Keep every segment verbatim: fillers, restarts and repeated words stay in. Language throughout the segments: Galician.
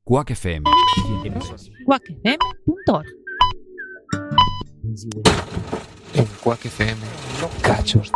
Quack F M. quack f m punto org. En Quack F M, cachos.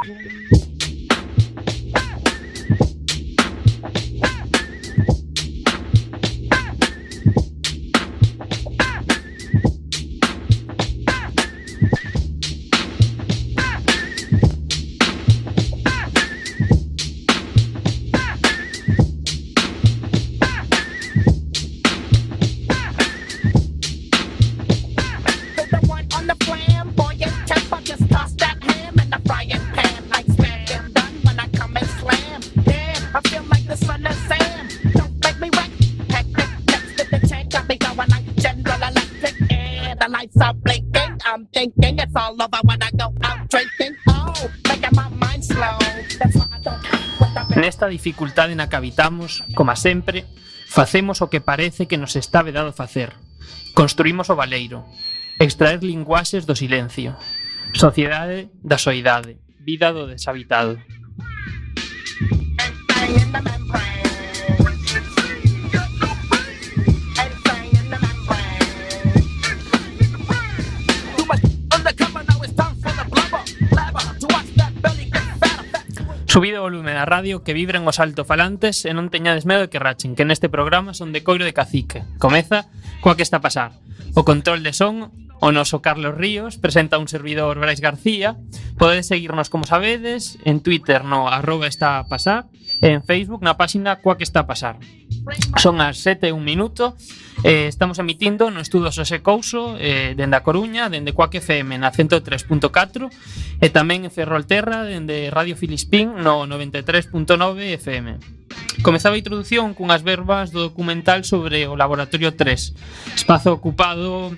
Nesta dificultade na que habitamos, como sempre, facemos o que parece que nos está vedado facer. Construímos o baleiro, extraer linguaxes do silencio, sociedade da soidade, vida do deshabitado. Subido o volume da radio, que vibren os altofalantes e non teñades medo de que rachen, que neste programa son de coiro de cacique. Comeza coa que está a pasar. O control de son, o noso Carlos Ríos, presenta un servidor Brais García. Podedes seguirnos, como sabedes, en Twitter no arroba está a pasar e en Facebook na páxina coa que está a pasar. Son as sete e un minuto. Eh, estamos emitindo no estudo Xosé Couso eh, dende a Coruña, dende Quack F M na ciento tres punto catro e tamén en Ferrolterra dende Radio Filispín no noventa e tres punto nove F M. Comezaba a introducción cunhas verbas do documental sobre o Laboratorio tres, espazo ocupado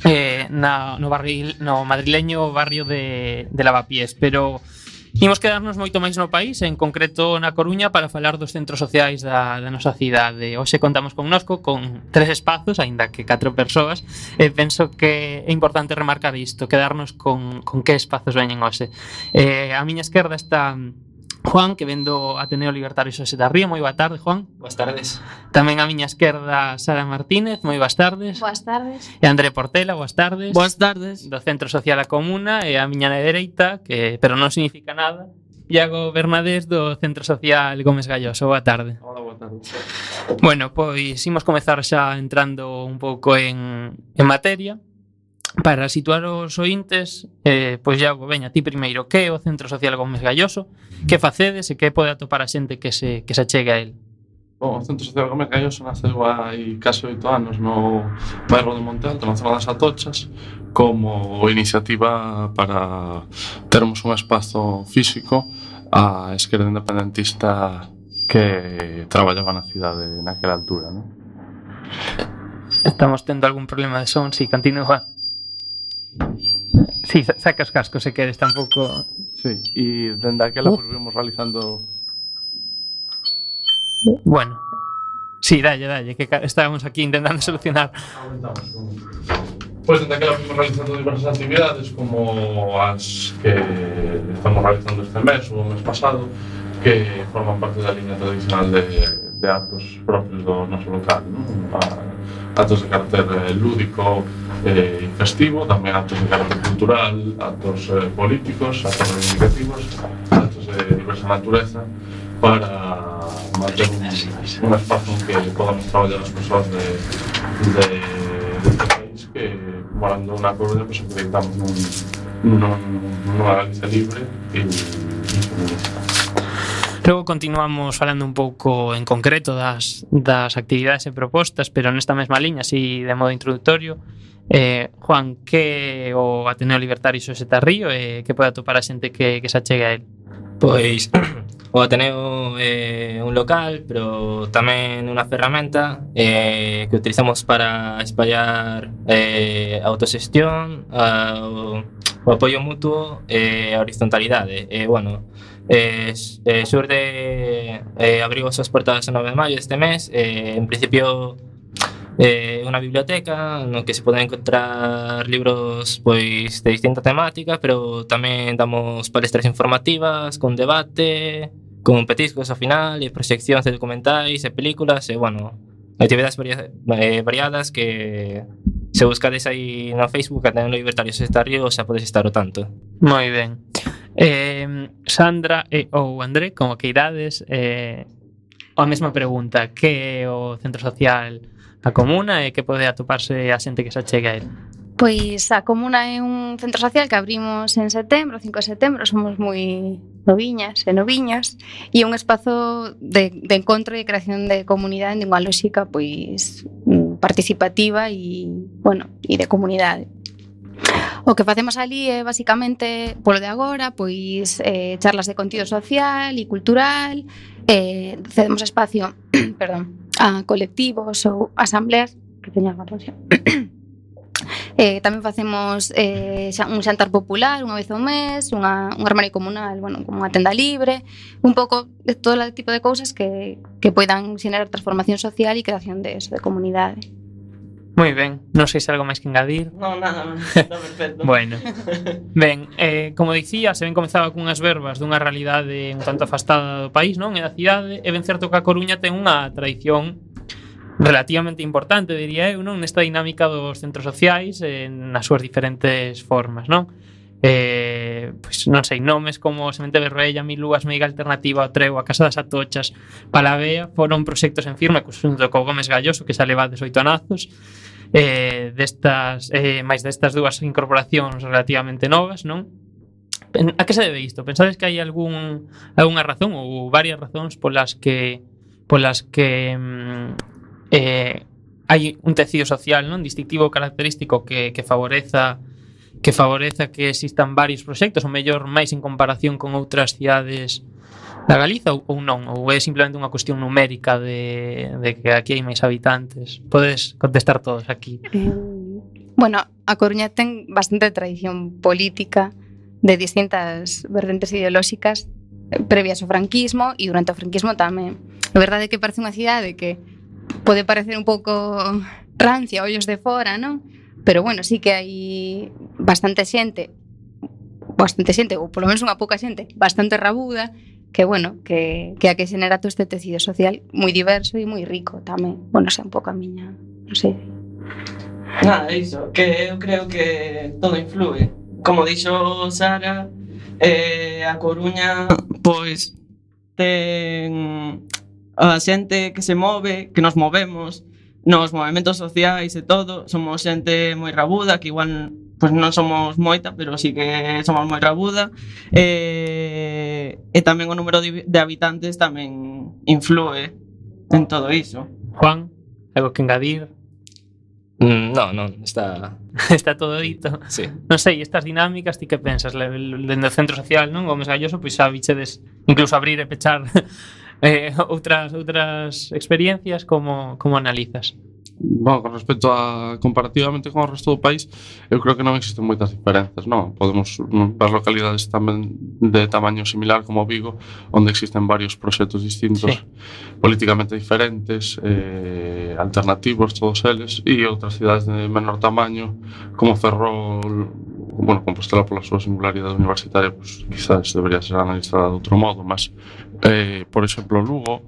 eh, na, no, barril, no madrileño barrio de, de Lavapiés, pero imos quedarnos moito máis no país, en concreto na Coruña, para falar dos centros sociais da, da nosa cidade. Hoxe contamos connosco con tres espazos, aínda que catro persoas, e penso que é importante remarcar isto, quedarnos con, con que espazos veñen hoxe. Eh, a miña esquerda está Juan, que vendo Ateneo Libertario Xosé da Ría. Moi boa tarde, Juan. Boas tardes. Tamén a miña esquerda Sara Martínez. Moi boas tardes. Boas tardes. E André Portela, boas tardes. Boas tardes. Do Centro Social A Comuna. E a miña na dereita, que pero non significa nada, Iago Bernadés do Centro Social Gómez Galloso. Boa tarde. Hola, boa tarde. Bueno, pois imos comezar xa entrando un pouco en, en materia. Para situar os ointes, eh, pois Iago, veña, ti primeiro, que é o Centro Social Gómez Galloso? Que facedes e que pode atopar a xente que se, que se achegue a él? Bom, o Centro Social Gómez Galloso naceu hai case oito anos no bairro de Monte Alto, na zona das Atochas, como iniciativa para termos un espazo físico á esquerda independentista que traballaba na cidade naquela altura, non? Estamos tendo algún problema de son, si, continúa. Sí, saca os cascos se queres, tampouco. Sí, e dende aquela uh. pues, vimos realizando. Bueno, sí, dalle, dalle, que estábamos aquí intentando solucionar. Pois dende aquela vimos realizando diversas actividades, como as que estamos realizando este mes ou o mes pasado, que forman parte da liña tradicional de, de actos propios do noso local, ¿no? Actos de carácter eh, lúdico e eh, festivo, tamén actos de carácter cultural, actos eh, políticos, actos reivindicativos, actos de diversa natureza, para manter un, un espazo en que podamos traballar as persoas de, de, de este país que, morando na Coruña, pues, acreditamos nun, nun, nunha Galicia libre e, e feminista. Logo continuamos falando un pouco en concreto das, das actividades e propostas, pero nesta mesma liña, así de modo introductorio. Eh, Juan, que o Ateneo Libertario Xosé da Ría e que pode atopar a xente que, que se achegue a él? Pois o Ateneo é un local, pero tamén unha ferramenta eh, que utilizamos para espallar eh, a autoxestión, a, o, o apoio mutuo e a horizontalidade. E, bueno, Eh, eh, xurde eh, abriu as súas portas o nove de maio deste mes. eh, En principio é eh, unha biblioteca no que se poden encontrar libros pois de distinta temática, pero tamén damos palestras informativas con debate, con petiscos ao final e proxeccións de documentais e películas. E, bueno, actividades varia- eh, variadas que se buscades aí no Facebook Ateneo Libertario Sectario xa podes estar ao tanto. Moi ben. Eh, Sandra e ou André, como que irades, eh, a mesma pregunta: que é o centro social a Comuna e que pode atoparse a xente que se achegue a ele? Pois a Comuna é un centro social que abrimos en setembro, cinco de setembro, somos moi noviñas e noviños, e é un espazo de, de encontro e creación de comunidade en unha lógica pois participativa e, bueno, e de comunidade. O que facemos ali é basicamente, polo de agora, pois eh, charlas de contido social e cultural, eh, cedemos espacio perdón, a colectivos ou asambleas que teñan relación. Eh, tamén facemos eh, un xantar popular unha vez ao mes, unha, un armario comunal, bueno, como unha tenda libre, un pouco de todo o tipo de cousas que, que poidan xenerar transformación social e creación de eso, de comunidade. Moi ben, non sei se algo máis que engadir. No, nada, está perfecto. Bueno, ben, eh, como dicía, se ben comezaba cunhas verbas dunha realidade un tanto afastada do país, non? E da cidade, e ben certo que a Coruña ten unha tradición relativamente importante, diría eu, non? Nesta dinámica dos centros sociais eh, nas súas diferentes formas, non? Eh, pois non sei, nomes como Semente Berrella, Mil Lúas, Meiga Alternativa, o Treo, a Casa das Atochas, Palavea, foron proxectos en firme xunto co Gómez Galloso, que xa levades oito anazos, eh, destas, eh, máis destas dúas incorporacións relativamente novas, non? A que se debe isto? Pensades que hai algún algunha razón ou varias razóns polas que polas que mm, Eh, hai un tecido social, non, distintivo característico que, que favoreza que favoreza que existan varios proxectos, ou mellor máis en comparación con outras cidades da Galiza, ou, ou non, ou é simplemente unha cuestión numérica de, de que aquí hai máis habitantes? Podes contestar todos aquí. Eh, bueno, a Coruña ten bastante tradición política de distintas vertentes ideolóxicas previas ao franquismo e durante o franquismo tamén. A verdade é que parece unha cidade que pode parecer un pouco rancia, ollos de fora, non? Pero bueno, sí que hai bastante xente, bastante xente, ou polo menos unha pouca xente, bastante rabuda, que bueno, que, que a que xenera todo este tecido social moi diverso e moi rico tamén. Bueno, xa un pouco a miña, non sei. Nada, iso, que eu creo que todo influe. Como dixo Sara, eh, a Coruña, pois, ten a xente que se move, que nos movemos nos movementos sociais e todo, somos xente moi rabuda, que igual pois non somos moita, pero sí que somos moi rabuda, e, e tamén o número de habitantes tamén influe en todo iso. Juan, algo que engadir? Mm, no, non, está... Está todo dito. Sí. Non sei, estas dinámicas, ti que pensas? Dende o centro social, non? Gómez Galloso, pois xa bichedes incluso abrir e pechar eh, outras outras experiencias, como, como analizas? Bueno, con respecto a comparativamente con o resto do país, eu creo que non existen moitas diferenzas, non? Podemos ver localidades tamén de tamaño similar como Vigo, onde existen varios proxectos distintos, sí, políticamente diferentes, eh, alternativos, todos eles, e outras cidades de menor tamaño, como Ferrol, bueno, Compostela pola súa singularidade universitaria, pues, quizás debería ser analizada de outro modo, mas, eh, por exemplo, Lugo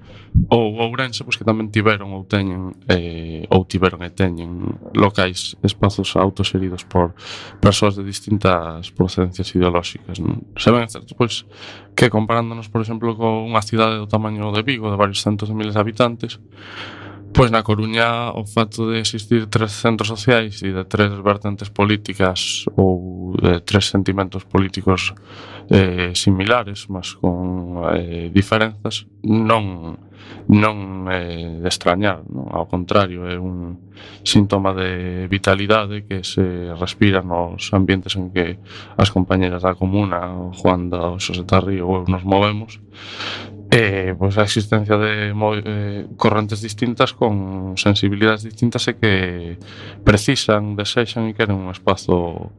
ou Ourense, pues, que tamén tiveron ou teñen eh, ou tiveron e teñen locais, espazos autoxeridos por persoas de distintas procedencias ideolóxicas, non? Se ben é certo, pois, que comparándonos, por exemplo, con unha cidade do tamaño de Vigo, de varios centos de miles de habitantes, pois na Coruña o facto de existir tres centros sociais e de tres vertentes políticas ou de tres sentimentos políticos eh, similares, mas con eh, diferenzas, non non é de extrañar, non? Ao contrario, é un síntoma de vitalidade que se respira nos ambientes en que as compañeras da comuna, o Juan da Xosé Tarrío ou nos movemos. Eh, pois a existencia de eh, correntes distintas con sensibilidades distintas e que precisan, desexan e queren un espazo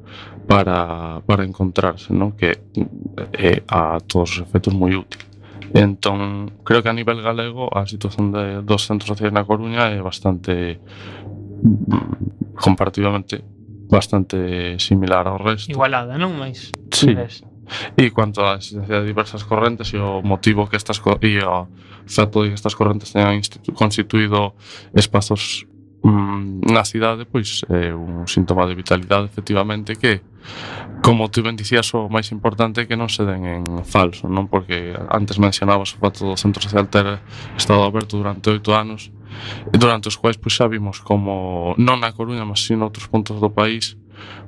para, para encontrarse, non? Que é a todos os efectos moi útil. Entón, creo que a nivel galego a situación de, dos centros sociais na Coruña é bastante, comparativamente, bastante similar ao resto. Igualada, non? Mais sí. E cuanto á existencia de diversas correntes e o motivo que estas co- e o feito de que estas correntes teñan institu- constituído espazos mm, na cidade, pois é un síntoma de vitalidade, efectivamente, que, como tú ben dicías, o máis importante é que non se den en falso, non? Porque antes mencionabas o fato do centro social ter estado aberto durante oito anos, durante os quais pois xa vimos como, non na Coruña, mas si noutros puntos do país,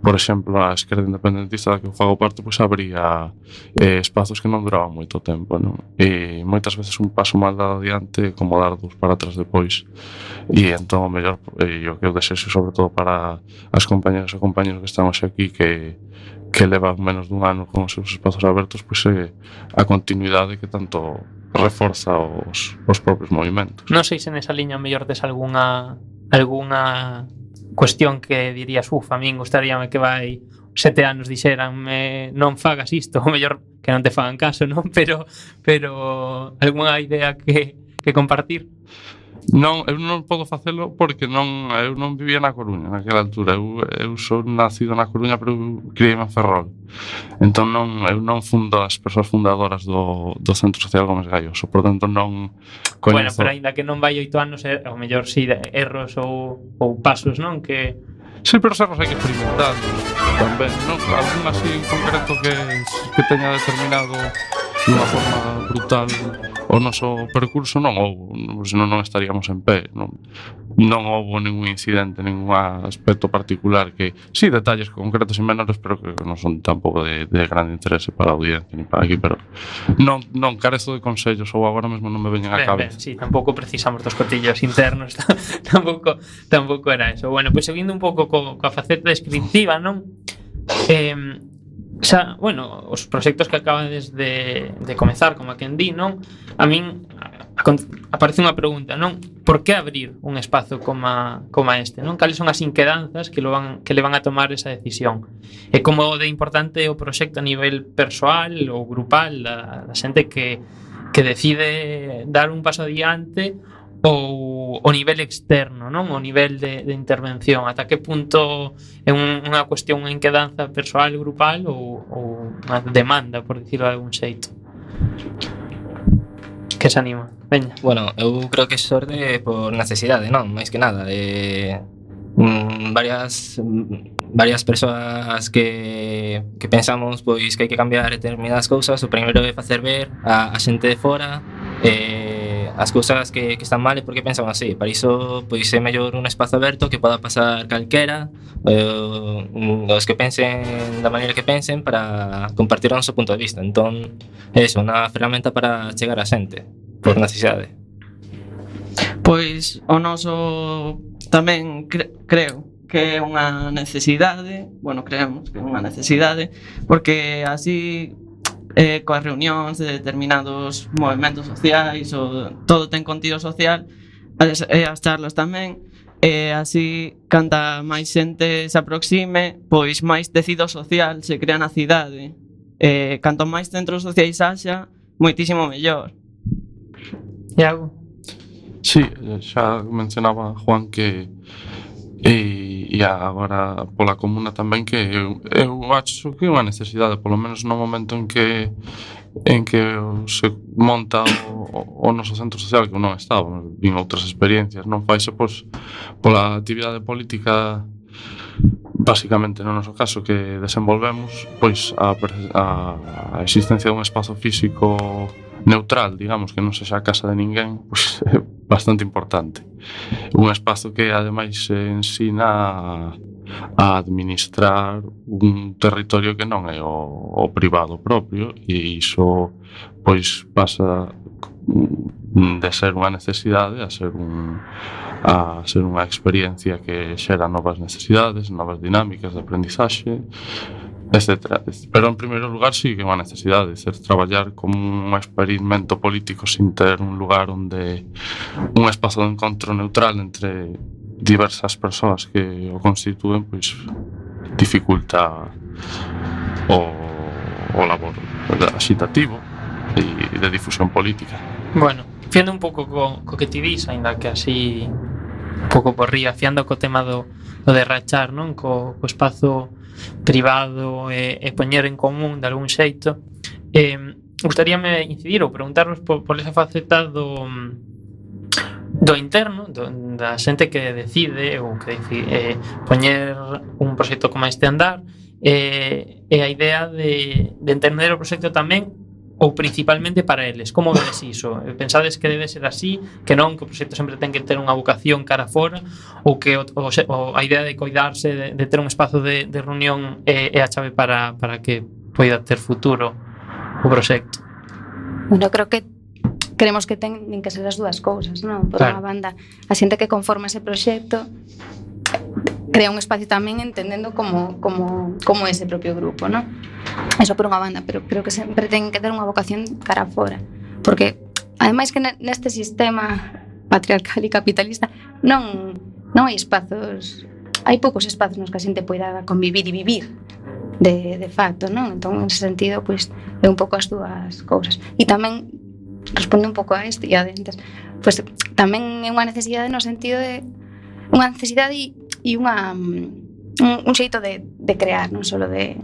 por exemplo, a esquerda independentista da que eu fago parte, pois abría eh, espazos que non duraban moito tempo, non? E moitas veces un paso mal dado adiante como dar dous para atrás depois. E entón o mellor, e o que eu desexo sobre todo para as compañeras e compañeros que están hoxe aquí, que que levan menos dun ano con os seus espazos abertos, pois é a continuidade que tanto reforza os, os propios movimentos. Non sei se nesa liña mellor tes algunha algunha cuestión que dirías, uf, a min gustaríame que vai sete anos dixeranme non fagas isto, ou mellor que non te fagan caso, non? Pero pero algunha idea que, que compartir? Non, eu non podo facelo porque non, eu non vivía na Coruña naquela altura. Eu, eu sou nacido na Coruña, pero eu criei en Ferrol. Entón non, eu non fundo as persoas fundadoras do, do Centro Social Gómez Gaioso. Por tanto non coñezo. Bueno, pero aínda que non vai oito anos, é, ao mellor si de erros ou, ou pasos, non? Que Sí, pero os erros hai que experimentar tamén, non? Algún así en concreto que, que teña determinado dunha forma brutal o noso percurso non houbo, senón non estaríamos en pé, non, non houbo ningún incidente, ningún aspecto particular que, sí, detalles concretos e menores, pero que non son tampouco de, de grande interese para a audiencia ni para aquí, pero non, non carezo de consellos ou agora mesmo non me veñen á ben, ben, cabeza. sí, tampouco precisamos dos cotillos internos, tampouco tampouco era eso. Bueno, pois pues, seguindo un pouco co, coa faceta descriptiva, non? Eh, xa, bueno, os proxectos que acabades de, de comezar, como a quen di, non? A min a, a, aparece unha pregunta, non? Por que abrir un espazo como, como este, non? Cales son as inquedanzas que, lo van, que le van a tomar esa decisión? E como de importante o proxecto a nivel persoal ou grupal da, da xente que, que decide dar un paso adiante ou o nivel externo, non? O nivel de, de intervención, ata que punto é un, unha cuestión, unha inquedanza persoal, grupal ou, ou unha demanda, por dicirlo de algún xeito. Que se anima? Veña. Bueno, eu creo que xorde por necesidade, non? Máis que nada. Eh, mm, varias varias persoas que, que pensamos pois que hai que cambiar determinadas cousas. O primeiro é facer ver a, a xente de fora eh, as cousas que, que están mal e porque pensan así. Para iso pois é mellor un espazo aberto que poda pasar calquera, eh, os que pensen da maneira que pensen, para compartir o noso punto de vista. Entón, é iso, unha ferramenta para chegar a xente por necesidade. Pois o noso tamén cre creo que é unha necesidade, bueno, creemos que é unha necesidade, porque así eh, coas reunións de determinados movimentos sociais, o, todo ten contido social, as, e as charlas tamén, e así, canta máis xente se aproxime, pois máis tecido social se crea na cidade. E canto máis centros sociais haxa, moitísimo mellor. Iago? Sí, xa mencionaba Juan que e, e agora pola comuna tamén que eu, eu acho que é unha necesidade, polo menos no momento en que en que se monta o, o noso centro social, que non estaba, vin outras experiencias, non faise pois pola actividade política basicamente no noso caso que desenvolvemos, pois a, a, a existencia dun espazo físico neutral, digamos, que non sexa a casa de ninguén, pois é bastante importante. Un espazo que ademais ensina a, a administrar un territorio que non é o, o privado propio, e iso pois pasa de ser unha necesidade a ser un a ser unha experiencia que xera novas necesidades, novas dinámicas de aprendizaxe, etcétera. Pero en primeiro lugar sí que é unha necesidade de ser traballar como un experimento político sin ter un lugar onde un espazo de encontro neutral entre diversas persoas que o constitúen, pois dificulta o, o labor agitativo e de difusión política. Bueno, fiando un pouco co, co que ti dis, ainda que así un pouco por ría, fiando co tema do, do de rachar, non? Co, co espazo privado e, e poñer en común de algún xeito. Eh, gustaríame incidir ou preguntarvos por, por esa faceta do do interno, do, da xente que decide ou que decide, eh, poñer un proxecto como este andar, eh, e a idea de, de entender o proxecto tamén ou principalmente para eles. Como vedes iso? Pensades que debe ser así, que non, que o proxecto sempre ten que ter unha vocación cara fora, ou que o, o, o, a idea de coidarse, de, de ter un espazo de, de reunión é, é a chave para, para que poida ter futuro o proxecto? Bueno, creo que queremos que teñen que ser as dúas cousas, non? Por Claro. unha banda, a xente que conforma ese proxecto crea un espacio tamén entendendo como, como, como ese propio grupo, non? Eso por unha banda, pero creo que sempre ten que ter unha vocación cara fora, porque ademais que neste sistema patriarcal e capitalista non, non hai espazos, hai poucos espazos nos que a xente poida convivir e vivir de, de facto, non? Entón, en ese sentido, pois, é un pouco as dúas cousas. E tamén, responde un pouco a este e a dentes, pois tamén é unha necesidade no sentido de unha necesidade e, e unha un, un xeito de, de crear, non solo de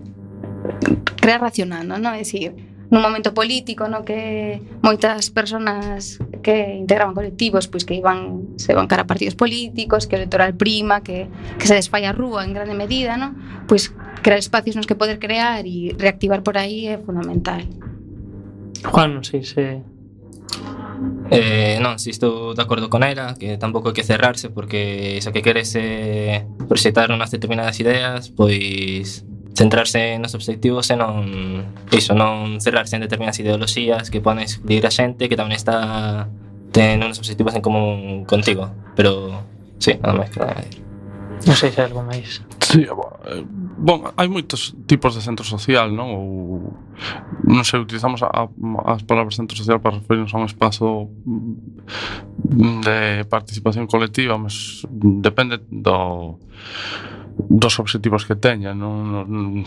crear racionando, non? É dicir, nun momento político no que moitas persoas que integraban colectivos pois que iban, se van cara a partidos políticos, que o electoral prima, que, que se desfai a rúa en grande medida, non? Pois crear espacios nos que poder crear e reactivar por aí é fundamental. Juan, non sei se... Eh, non, si estou de acordo con ela, que tampouco hai que cerrarse, porque se o que queres é proxectar unhas determinadas ideas, pois centrarse nos obxectivos e non iso, non cerrarse en determinadas ideoloxías que poden excluir a xente que tamén está ten uns obxectivos en común contigo. Pero, sí, nada máis que nada. Non sei se hai algo máis. Sí, bon, hai moitos tipos de centro social, non? Ou non sei, utilizamos a, a, as palabras centro social para referirnos a un espazo de participación colectiva, mas depende do dos obxectivos que teña, non? No,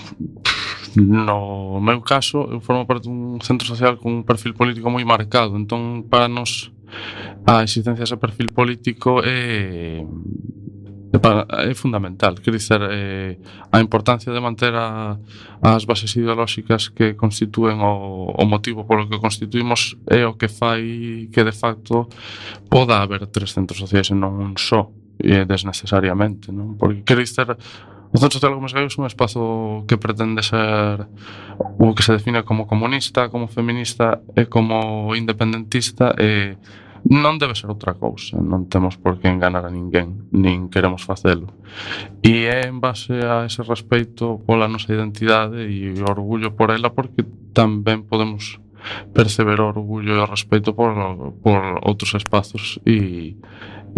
no meu caso, eu formo parte dun centro social con un perfil político moi marcado, entón para nos a existencia dese perfil político é é fundamental, quer dizer, eh, a importancia de manter a, as bases ideolóxicas que constitúen o, o motivo polo que constituímos é o que fai que de facto poda haber tres centros sociais e non un só, e desnecesariamente, non? Porque, quer dizer, o Centro Social Gómez Gallegos é un espazo que pretende ser o que se define como comunista, como feminista e como independentista, e non debe ser outra cousa, non temos por que enganar a ninguén, nin queremos facelo. E é en base a ese respeito pola nosa identidade e o orgullo por ela, porque tamén podemos perceber o orgullo e o respeito por, por outros espazos e,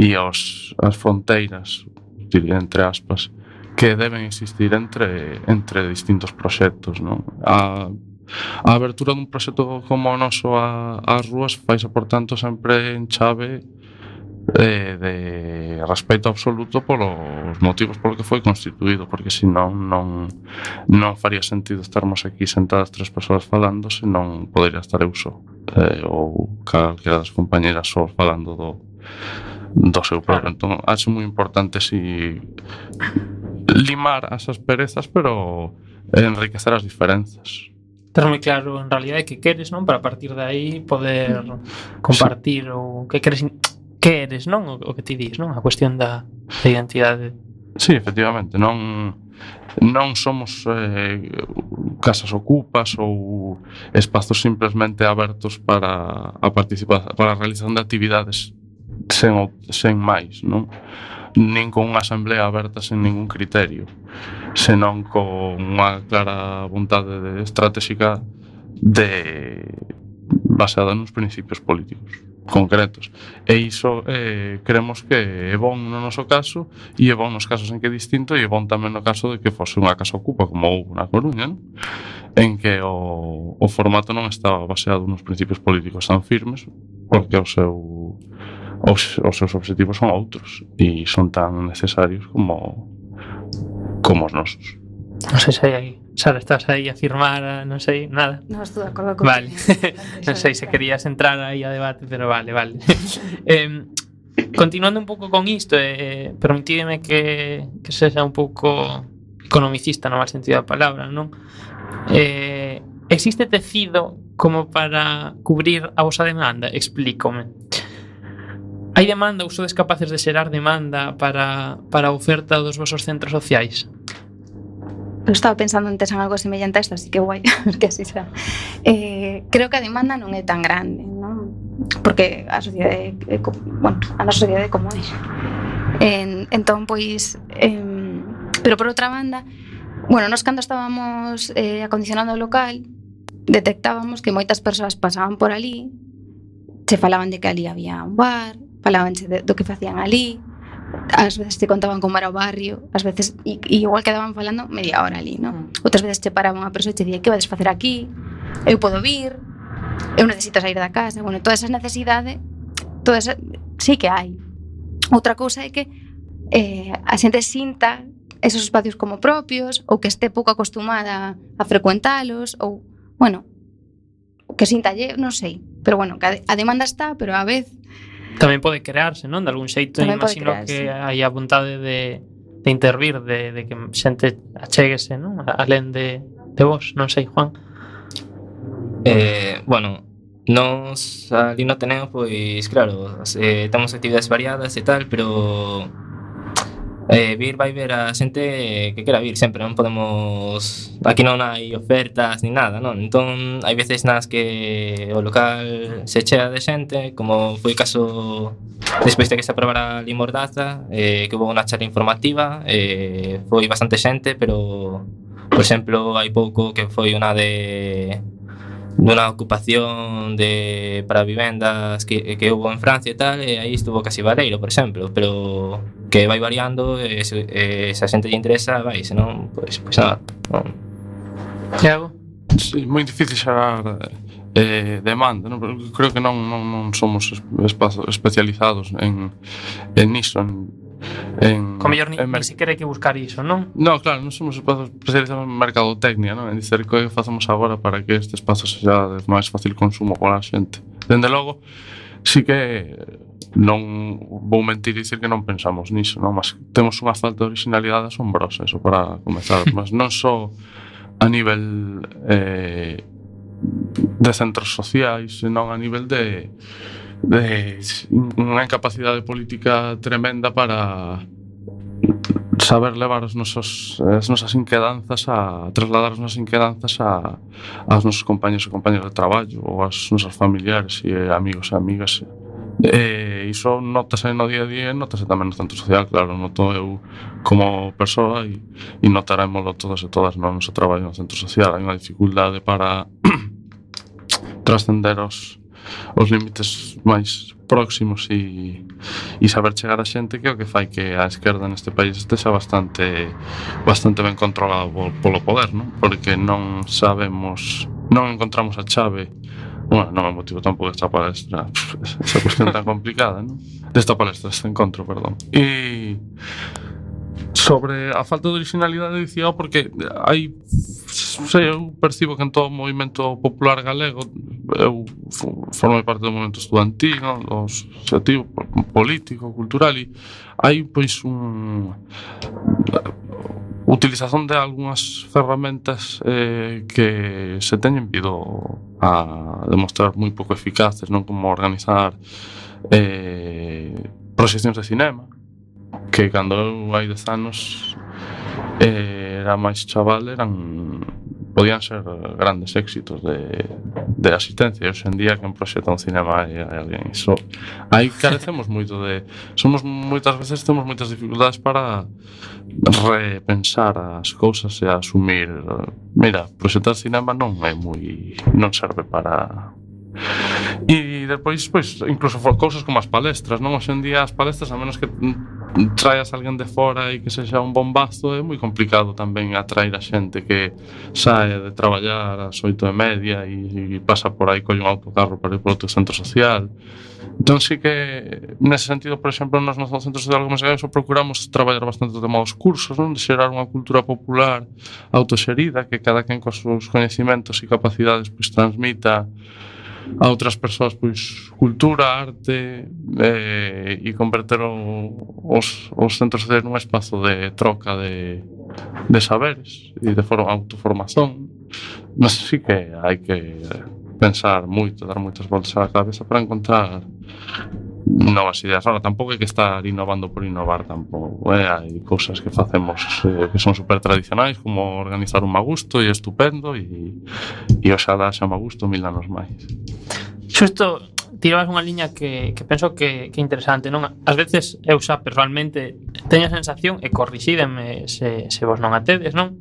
e os, as fronteiras, diría, entre aspas, que deben existir entre, entre distintos proxectos, non? A A abertura dun proxecto como o noso ás rúas faise, por tanto, sempre en chave de, de respeito absoluto polos motivos polo que foi constituído, porque senón non, non faría sentido estarmos aquí sentadas tres persoas falando, senón podería estar eu só, eh, ou calquera das compañeras só falando do, do seu propio. Entón, acho moi importante si limar as asperezas, pero enriquecer as diferenzas. Ter moi claro en realidade que queres, non? Para a partir de aí poder compartir o que queres, que eres, non? O, o que ti dis, non? A cuestión da, da identidade. Sí, efectivamente, non non somos eh, casas ocupas ou espazos simplemente abertos para a participación, para a realización de actividades sen, sen máis, non? Nin con unha asamblea aberta sen ningún criterio, senón con unha clara vontade de estratégica de baseada nos principios políticos concretos. E iso eh, creemos que é bon no noso caso, e é bon nos casos en que é distinto, e é bon tamén no caso de que fose unha casa ocupa como houve na Coruña, non? En que o, o formato non estaba baseado nos principios políticos tan firmes, porque o seu Os, os seus obxectivos son outros e son tan necesarios como como os nosos. Non sei se aí, Sara, estás aí a firmar, non sei, nada. Non estou de acordo con Vale, non sei se querías entrar aí a debate, pero vale, vale. eh, continuando un pouco con isto, eh, permitídeme que, que sexa un pouco economicista no mal sentido da palabra, non? Eh, existe tecido como para cubrir a vosa demanda? Explícome. Hai demanda ou sodes capaces de xerar demanda para, para a oferta dos vosos centros sociais? Eu estaba pensando antes en algo semellante a isto, así que guai, que así será. Eh, creo que a demanda non é tan grande, non? Porque a sociedade, é, bueno, a nosa sociedade é como é. En, entón, pois, eh, pero por outra banda, bueno, nos cando estábamos eh, acondicionando o local, detectábamos que moitas persoas pasaban por ali, se falaban de que ali había un bar, falabanche de, do que facían ali, ás veces te contaban como era o barrio, ás veces, e, e igual quedaban falando media hora ali, non? Outras veces te paraban a persoa e te dicía, que vades facer aquí? Eu podo vir, eu necesito sair da casa. Bueno, toda esa necesidade, toda esa, sí que hai. Outra cousa é que eh, a xente sinta esos espacios como propios, ou que este pouco acostumada a frecuentalos, ou, bueno, que sinta lle, non sei, pero bueno, que a, a demanda está, pero a vez tamén pode crearse, non? De algún xeito, Tamén pode imagino crearse. que hai a vontade de, de intervir, de, de que xente achéguese, non? Alén de, de vos, non sei, Juan. Eh, bueno, nos ali no tenemos, pois, claro, eh, temos actividades variadas e tal, pero eh, vir vai ver a xente que quera vir sempre, non podemos, aquí non hai ofertas ni nada, non? Entón, hai veces nas que o local se chea de xente, como foi o caso despois de que se aprobara a Lei Mordaza, eh, que houve unha charla informativa, eh, foi bastante xente, pero, por exemplo, hai pouco que foi unha de dunha ocupación de para vivendas que, que hubo en Francia e tal, e aí estuvo casi Vareiro, por exemplo, pero que vai variando, e se, e se a xente lle interesa, vai, senón, pois, pois nada, non. Thiago? Sí, moi difícil xerar eh, demanda, non? Creo que non, non, non somos espazos especializados en, en iso, en, en, Co mellor ni, en ni sequera hai que buscar iso, non? No, claro, non somos espazos especializados en mercadotecnia, non? En dicer que facemos agora para que este espazo sexa de máis fácil consumo para a xente. Dende logo, sí que non vou mentir e dicir que non pensamos niso, non? Mas temos unha falta de originalidade asombrosa, eso para comezar, mas non só a nivel eh, de centros sociais, senón a nivel de de unha incapacidade política tremenda para saber levar os nosos, as nosas inquedanzas a trasladar as nosas inquedanzas a aos nosos compañeros e compañeras de traballo ou aos nosos familiares e amigos e amigas. E iso notase no día a día, notase tamén no centro social, claro, noto eu como persoa e, e notarémoslo todos e todas no noso traballo no centro social. Hai unha dificultade para trascender os os límites máis próximos e, e saber chegar a xente, que é o que fai que a esquerda neste país estexa bastante bastante ben controlado polo poder, non? Porque non sabemos, non encontramos a chave. Bueno, non é motivo tampouco desta palestra, esa cuestión tan complicada, non? Desta palestra, deste encontro, perdón. E sobre a falta de originalidade dicía porque hai, sei, eu percibo que en todo o movimento popular galego, eu formei parte do movimento estudantil, non? Do asociativo, político, cultural, e hai pois un utilización de algunhas ferramentas eh, que se teñen vido a demostrar moi pouco eficaces, non? Como organizar eh, proxeccións de cinema, que cando eu hai dez anos eh, era máis chaval, eran podían ser grandes éxitos de, de asistencia, e hoxe en día quen proxecta un cinema hai, hai alguén. Iso, aí carecemos moito de, somos moitas veces temos moitas dificultades para repensar as cousas e asumir, mira, proxectar cinema non é moi, non serve para. E depois, pois, incluso for cousas como as palestras, non? Hoxe en día as palestras, a menos que traas a alguén de fora e que sexa un bombazo, é moi complicado tamén atraer a xente que sae de traballar ás oito e media e, e pasa por aí, colle un autocarro para ir por outro centro social. Entón, sí que, nese sentido, por exemplo, nos nosos centros sociais como se procuramos traballar bastante o tema dos cursos, non? De xerar unha cultura popular autoxerida, que cada quen cos seus coñecimentos e capacidades pois transmita a outras persoas pois cultura, arte, eh, e converter o, os, os centros sociais nun espazo de troca de, de saberes e de forma, autoformación, mas sí que hai que pensar moito, dar moitas voltas á cabeza para encontrar novas ideas. Ahora, tampouco hai que estar innovando por innovar tampouco, eh? Hai cousas que facemos eh, que son super tradicionais, como organizar un magusto e estupendo, e, e oxalá xa magusto mil anos máis. Xusto tirabas unha liña que, que penso que, que é interesante, non? Ás veces eu xa personalmente teño a sensación, e corrixídeme se, se vos non a tedes, non?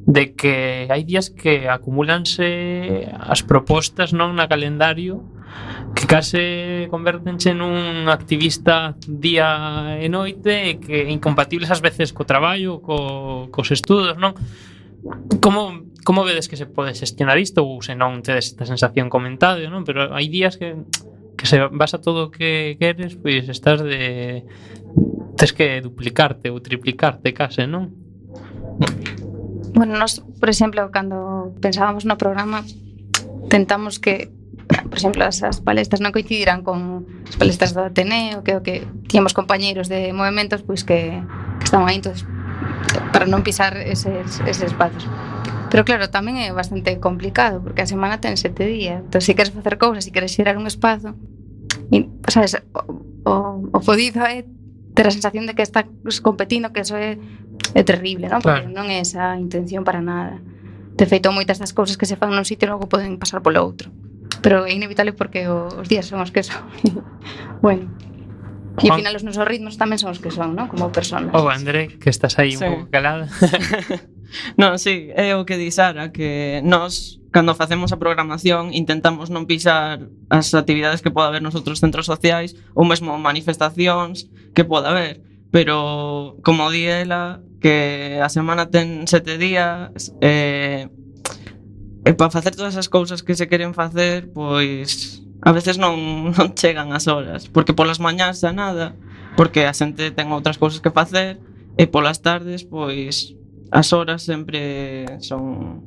De que hai días que acumúlanse as propostas, non, na calendario, que case convértense nun activista día e noite, e que incompatibles ás veces co traballo, co, cos estudos, non? Como, como vedes que se pode xestionar isto, ou se non tedes esta sensación comentado, non? Pero hai días que, que se vas a todo o que queres, pois estás de... tes que duplicarte ou triplicarte case, non? Bueno, nós, por exemplo, cando pensábamos no programa, tentamos que, por exemplo, as, as palestras non coincidirán con as palestras do Ateneo, que o que tíamos compañeiros de movimentos pois que, que estaban aí, entonces, para non pisar eses, eses espazos. Pero claro, tamén é bastante complicado, porque a semana ten sete días, entón, se queres facer cousas, se queres xerar un espazo, e, sabes, o, o, o fodido é ter a sensación de que estás competindo, que eso é é terrible, non? Porque claro, non é esa intención para nada. De feito, moitas das cousas que se fan nun sitio logo poden pasar polo outro. Pero é inevitable porque os días son os que son. Bueno. E ao final os nosos ritmos tamén son os que son, non? Como personas. Oh, André, que estás aí sí. un pouco calada. Non, sí, é o que di Sara, que nós, cando facemos a programación, intentamos non pisar as actividades que poda haber nos outros centros sociais, ou mesmo manifestacións que poda haber. Pero, como di ela, que a semana ten sete días, e, e para facer todas as cousas que se queren facer, pois a veces non, non chegan as horas, porque polas mañás xa nada, porque a xente ten outras cousas que facer, e polas tardes, pois as horas sempre son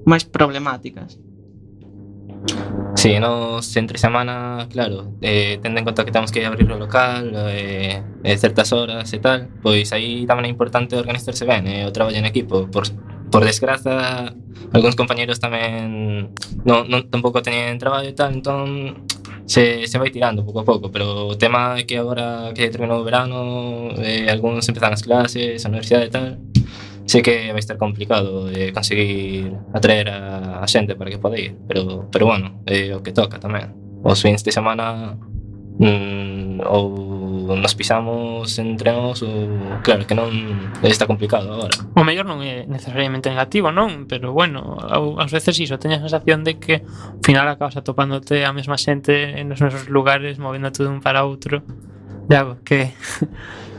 máis problemáticas. Sí, nos entre semana, claro, eh, tendo en conta que temos que abrir o local eh, eh, certas horas e tal, pois aí tamén é importante organizarse ben, eh, o traballo en equipo. Por, por desgraza, algúns compañeros tamén non, non, tampouco teñen traballo e tal, entón se, se vai tirando pouco a pouco, pero o tema é que agora que terminou o verano, eh, algúns empezan as clases, a universidade e tal, sei que vai estar complicado de conseguir atraer a, a xente para que poda ir, pero, pero bueno, é o que toca tamén. Os fins de semana mm, ou nos pisamos entre nós ou claro que non está complicado agora. O mellor non é necesariamente negativo, non? Pero bueno, ás veces iso, teño a sensación de que ao final acabas atopándote a mesma xente nos nosos lugares, movéndote dun para outro. Ya, que...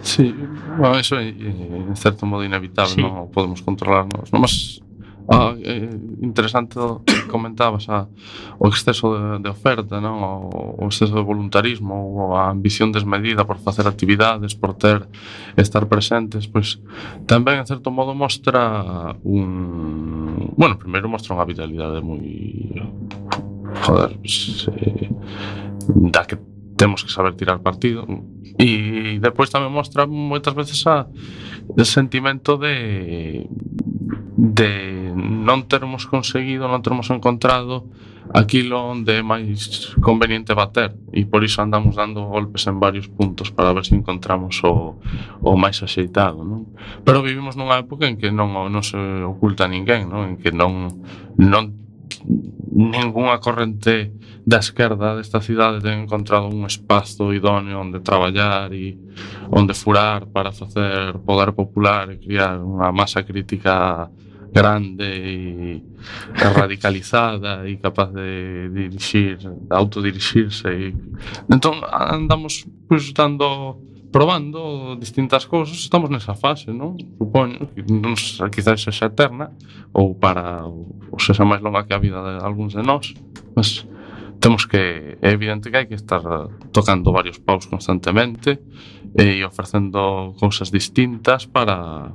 Sí, bueno, eso é en certo modo inevitable, sí. Non podemos controlarnos. Non, mas ah, é interesante o que comentabas, a, o exceso de, de oferta, non? O, o exceso de voluntarismo, ou a ambición desmedida por facer actividades, por ter, estar presentes, pois tamén en certo modo mostra un... Bueno, primeiro mostra unha vitalidade moi... Joder, pues, eh, da que temos que saber tirar partido, e depois tamén mostra moitas veces a el sentimento de de non termos conseguido, non termos encontrado aquilo onde é máis conveniente bater, e por iso andamos dando golpes en varios puntos para ver se encontramos o, o máis axeitado, non? Pero vivimos nunha época en que non, non se oculta ninguén, non? En que non non ningunha corrente da esquerda desta cidade ten encontrado un espazo idóneo onde traballar e onde furar para facer poder popular e criar unha masa crítica grande e radicalizada e capaz de dirixir, de autodirixirse e... Entón andamos pues, dando probando distintas cousas, estamos nesa fase, non? Supoño, que non quizás sexa eterna ou para ou sexa máis longa que a vida de algúns de nós, mas temos que, é evidente que hai que estar tocando varios paus constantemente e ofrecendo cousas distintas para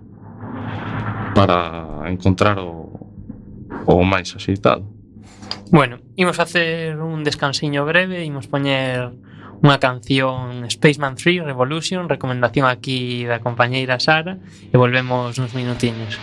para encontrar o, o máis axeitado. Bueno, imos facer un descansiño breve, imos poñer unha canción Spaceman tres Revolution, recomendación aquí da compañeira Sara, e volvemos uns minutiños.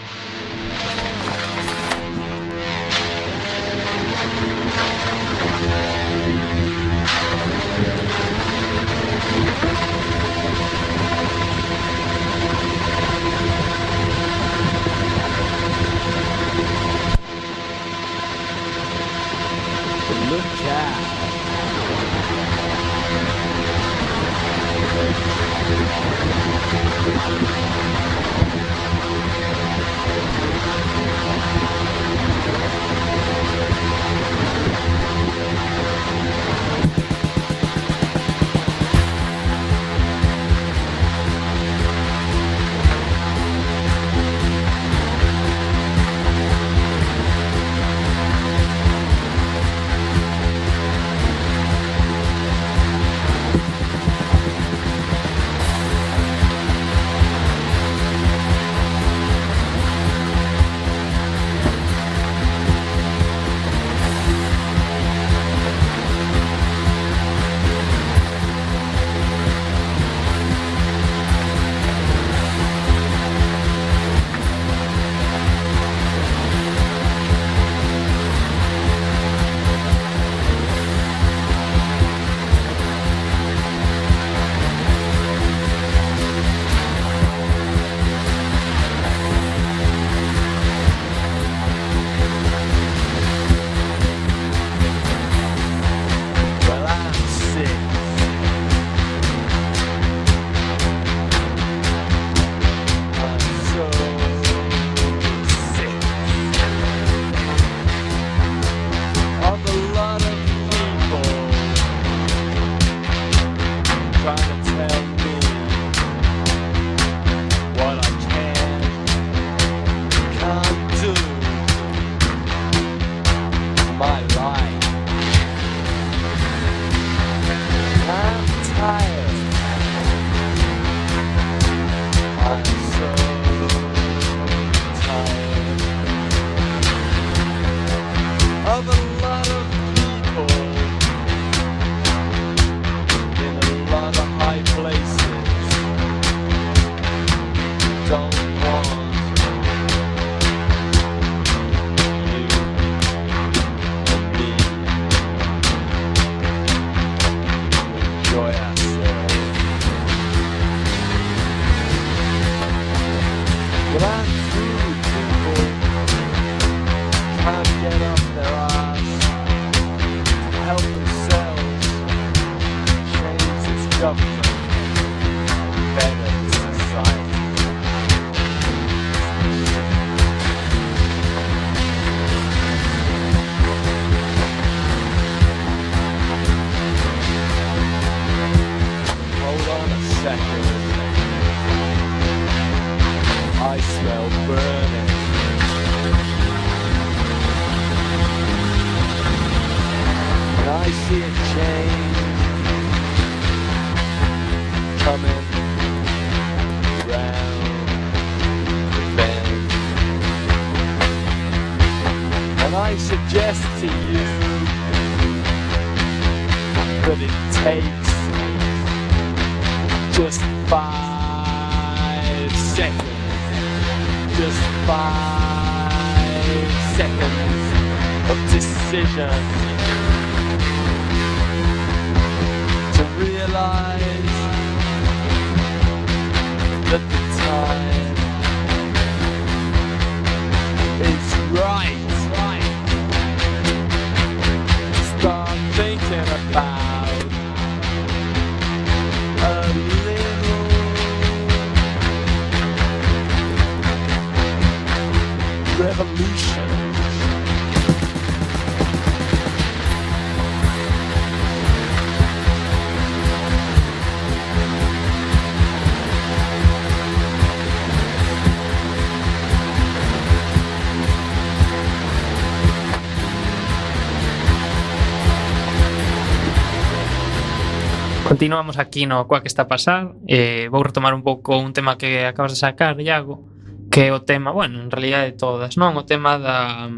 Continuamos aquí no Coa que está a pasar. eh, Vou retomar un pouco un tema que acabas de sacar, Iago, que é o tema, bueno, en realidad de todas, non? O tema da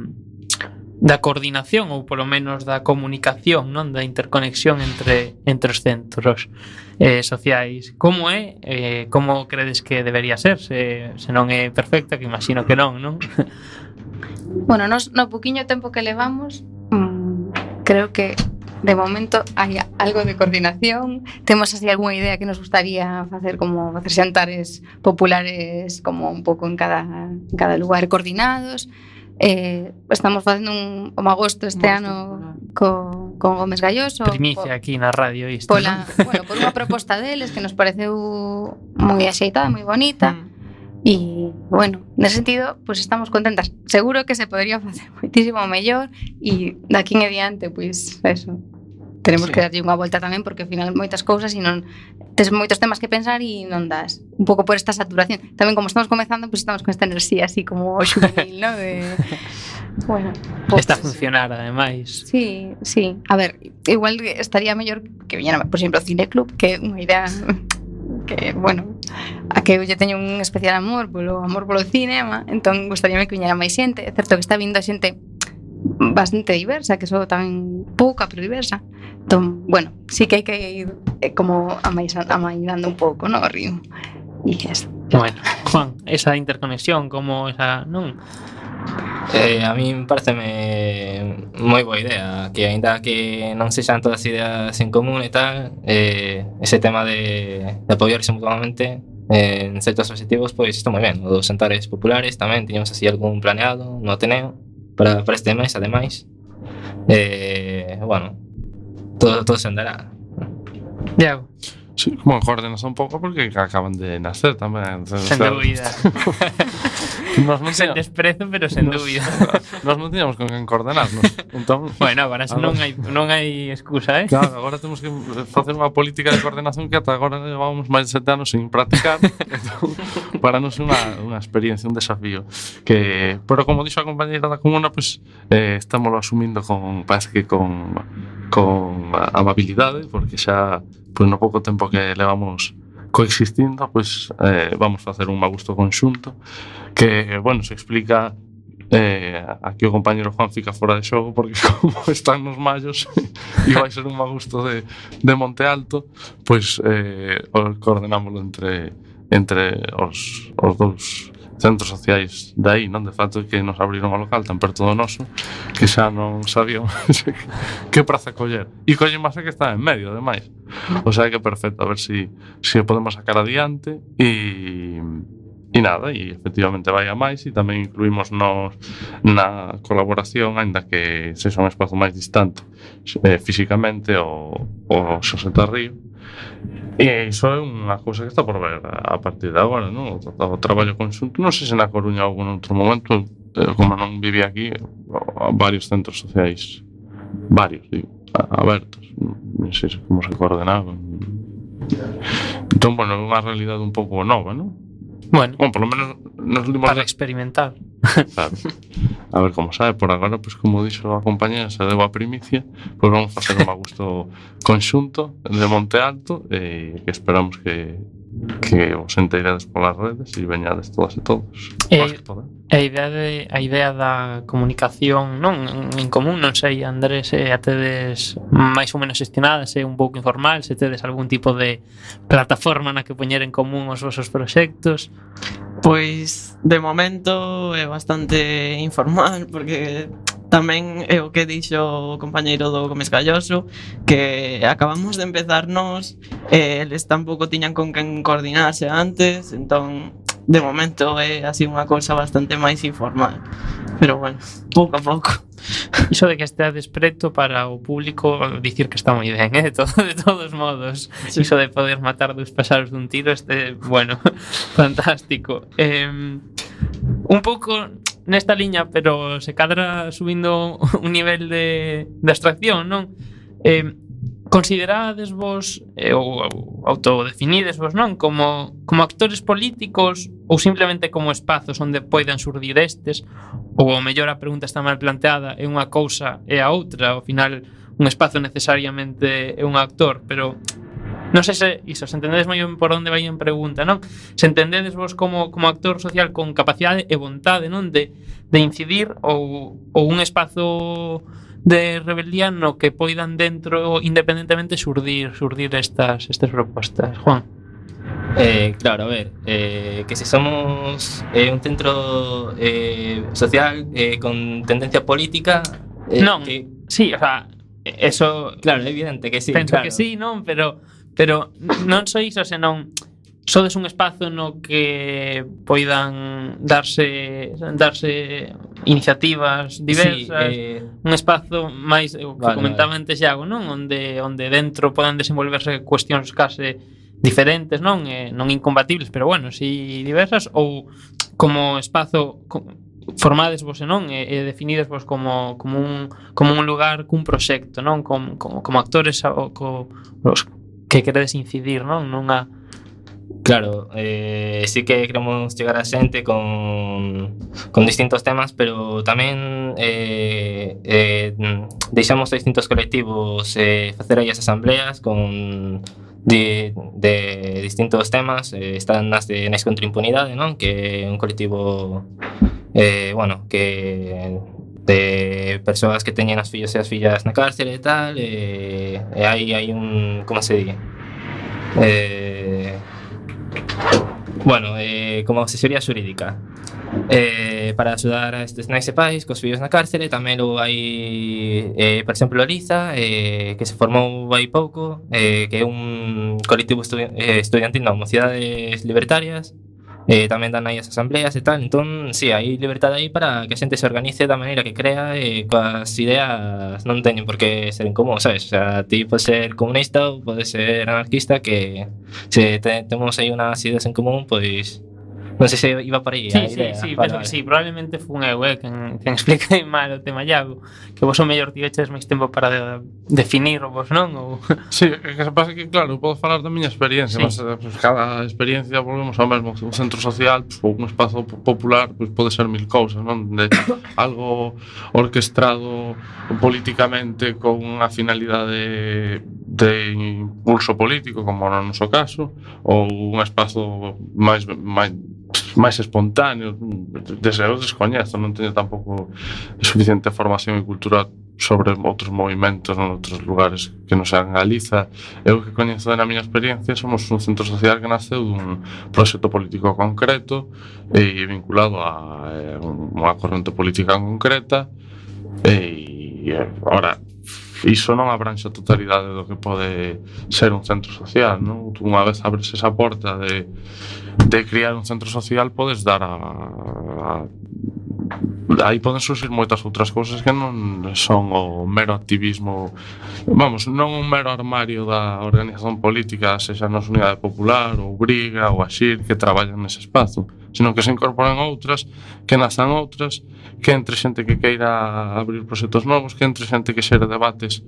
da coordinación ou polo menos da comunicación, non, da interconexión entre entre os centros eh, sociais. Como é? Eh, como credes que debería ser? Se, se non é perfecta, que imagino que non, non? Bueno, nos, no poquinho tempo que levamos, mmm, creo que de momento hai algo de coordinación. Temos así algunha idea que nos gustaría facer, como facer xantares populares como un pouco en cada, en cada lugar coordinados. Eh, estamos facendo un, un agosto este Agosto, ano claro. co, con Gómez Galloso. Primicia po- aquí na radio isto, pola, non? bueno, por unha proposta deles que nos pareceu moi axeitada, moi bonita. Mm. E, bueno, nese sentido, pues estamos contentas. Seguro que se podría facer moitísimo mellor e daqui en adiante, pois, pues, eso. Tenemos Sí. que darlle unha volta tamén porque ao final moitas cousas e non tes moitos temas que pensar e non das. Un pouco por esta saturación. Tamén como estamos comezando, pois pues estamos con esta enerxía así como juvenil, ¿no? De bueno, pues, Está a funcionar, ademais. Sí, sí. A ver, igual estaría mellor que viñera, por exemplo, o Cineclub, que é unha idea que, bueno, a que eu lle teño un especial amor polo amor polo cinema, entón gustaríame que viñera máis xente. É certo que está vindo xente bastante diversa, que sou tamén pouca, pero diversa. Entón, bueno, sí que hai que ir eh, como amainando un pouco, no, o ritmo. E eso. Bueno, Juan, esa interconexión, como esa, non? Eh, a mí pareceme moi boa idea que aínda que non sexan todas as ideas en común e tal, eh, ese tema de, de apoiarse mutuamente eh, en certos objetivos, pois está moi ben. Os xantares populares tamén tiñamos así algún planeado no Ateneo para, para este mes, ademais. Eh, bueno, todo, todo se andará. Diago, Sí, como coordenación un pouco porque acaban de nacer tamén. sen dúbida. Nos non Sen tiñamos, desprezo, pero sen nos- dúbida. nos non tiñamos con quen coordenarnos. Entón, Bueno, agora eso non Agora- hai non hai excusa, eh? claro, agora temos que facer unha política de coordenación que ata agora levamos máis de sete anos sin practicar. Entón, para nos é unha, unha experiencia, un desafío que, pero como dixo a compañeira da comuna, pues, eh, estamos asumindo con, parece que con con amabilidade, porque xa pues, no pouco tempo que levamos coexistindo, pues, eh, vamos facer un magusto conxunto que, bueno, se explica eh, aquí o compañero Juan fica fora de xogo porque como están nos mallos e vai ser un magusto de, de Monte Alto, pois eh, coordenámoslo entre entre os, os dous centros sociais de aí, non? De facto que nos abriron o local tan perto do noso que xa non sabíamos que praza coller. E colle máis que está en medio, ademais. O sea que perfecto, a ver si, si podemos sacar adiante e, e nada, e efectivamente vai a máis e tamén incluímos nos na colaboración, aínda que sexa un espazo máis distante eh, físicamente o, o Xosé Tarrío. E iso é unha cousa que está por ver a partir de agora, non? O, o traballo conxunto, non sei se na Coruña ou en outro momento, eh, como non vivía aquí, varios centros sociais, varios, digo, abertos, non sei como se coordenaban. Entón, bueno, é unha realidade un pouco nova, non? Bueno, Bueno, por lo menos nos últimos para experimentar. claro. A ver como sabe, por agora, pues como dixo a compañera, se deu a primicia, pues vamos a facer un magusto conxunto de Monte Alto e que esperamos que que os enteirades polas redes e veñades todas e todos. Eh, Os que podan. A idea de a idea da comunicación, non, en común, non sei, Andrés, se a tedes máis ou menos gestionadas, é un pouco informal, se tedes algún tipo de plataforma na que poñer en común os vosos proxectos. Pois de momento é bastante informal porque tamén é o que dixo o compañeiro do Gómez Galloso, que acabamos de empezarnos e eles tampouco tiñan con quen coordinarse antes, entón de momento é así unha cousa bastante máis informal, pero bueno, pouco a pouco. Iso de que esteades preto para o público dicir que está moi ben, eh? de, todo, de todos modos. Sí. Iso de poder matar dos paxaros dun tiro, este, bueno, fantástico. Eh, un pouco nesta liña, pero se cadra subindo un nivel de, de abstracción, non? Eh, considerades vos eh, ou, ou autodefinides vos, non? Como, como actores políticos ou simplemente como espazos onde poidan surdir estes, ou ao mellor a pregunta está mal planteada, é unha cousa e a outra, ao final un espazo necesariamente é un actor, pero Non sei se iso, se entendedes moi ben por onde vai en pregunta, non? Se entendedes vos como, como actor social con capacidade e vontade, non? De, de incidir ou, ou un espazo de rebeldía no que poidan dentro independentemente xurdir, xurdir estas, estas propostas. Juan. Eh, claro, a ver, eh, que si somos eh, un centro eh, social eh, con tendencia política... Eh, non, que, sí, o sea, eso... Claro, é evidente que sí. Penso claro. que sí, non? Pero, pero non só iso, senón sodes un espazo no que poidan darse darse iniciativas diversas, sí, eh, un espazo máis, o que vale, comentaba vale. antes Iago, non? Onde onde dentro podan desenvolverse cuestións case diferentes, non? Eh, non incompatibles, pero bueno, si diversas, ou como espazo co- formades vos, non? E, e definides vos como, como, un, como un lugar cun proxecto, non? Como, como, como actores o, co, os que queredes incidir, non? Nunha... Claro, eh, sí que queremos chegar a xente con, con distintos temas, pero tamén eh, eh, deixamos a distintos colectivos eh, facer aí as asambleas con de, de distintos temas. Eh, están as de Nais contra a Impunidade, non? Que é un colectivo eh, bueno, que de persoas que teñen as fillos e as fillas na cárcere e tal, e, e hai, hai un, como se di? Eh, bueno, eh, como asesoría xurídica eh, para axudar a estes nais e pais cos fillos na cárcere. Tamén logo hai, eh, por exemplo, Liza, eh, que se formou hai pouco, eh, que é un colectivo estudi- eh, estudiantil, non, mocidades libertarias. Eh, tamén dan aí as asambleas e tal. Entón, si, sí, hai libertade aí para que a xente se organice da maneira que crea e coas ideas non teñen por que ser en común, sabes? O sea, ti podes ser comunista ou podes ser anarquista, que se te, temos aí unhas ideas en común, pois non sei se iba por aí Sí, a sí, idea. sí, Vale, penso vale. que sí, probablemente fun eu, eh, quen, quen expliquei mal o tema Iago, que vos o mellor tiveches máis tempo para de, definir vos, non? Ou... Sí, é que se pasa que, claro, podo falar da miña experiencia, Sí. mas eh, pues, cada experiencia volvemos ao mesmo. Un centro social, pues, ou un espazo po- popular, pues, pode ser mil cousas, non? De algo orquestrado políticamente con unha finalidade de impulso político, como no noso caso, ou un espazo máis máis máis espontáneo. Desde eu descoñezo, non teño tampouco suficiente formación e cultura sobre outros movimentos en outros lugares que non sean Galiza. Eu que coñezo na miña experiencia, somos un centro social que naceu dun proxecto político concreto e vinculado a eh, unha corrente política concreta, e agora iso non abranxe a totalidade do que pode ser un centro social, non? Unha vez abres esa porta de, de criar un centro social, podes dar a, a aí poden surgir moitas outras cousas que non son o mero activismo, vamos, non un mero armario da organización política, sexa nos Unidade Popular ou Briga ou Axir, que traballan nese espazo, sino que se incorporan outras, que nazan outras, que entre xente que queira abrir proxectos novos, que entre xente que xere debates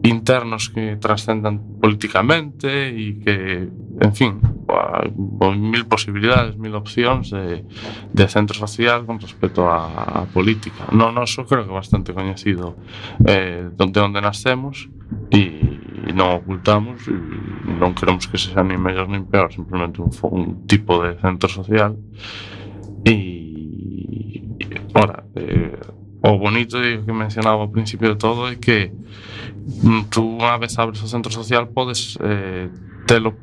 internos que trascendan políticamente e que, en fin, hai mil posibilidades, mil opcións de, de centro social con respecto a, a política. No noso creo que é bastante coñecido eh, de onde nascemos e non ocultamos e non queremos que sexa ni mellor nin peor, simplemente un, un tipo de centro social. E, ora, eh, o bonito que mencionaba ao principio de todo é que tú unha vez abres o centro social podes eh, telo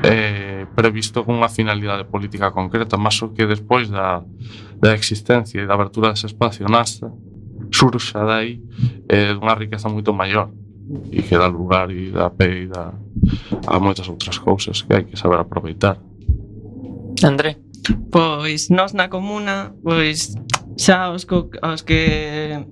eh, previsto con unha finalidade política concreta, mas o que despois da, da existencia e da abertura dese espacio nasce, surxa dai eh, unha riqueza moito maior e que dá lugar e dá pé e dá a moitas outras cousas que hai que saber aproveitar. André. Pois nós na comuna, pois xa os, co, os que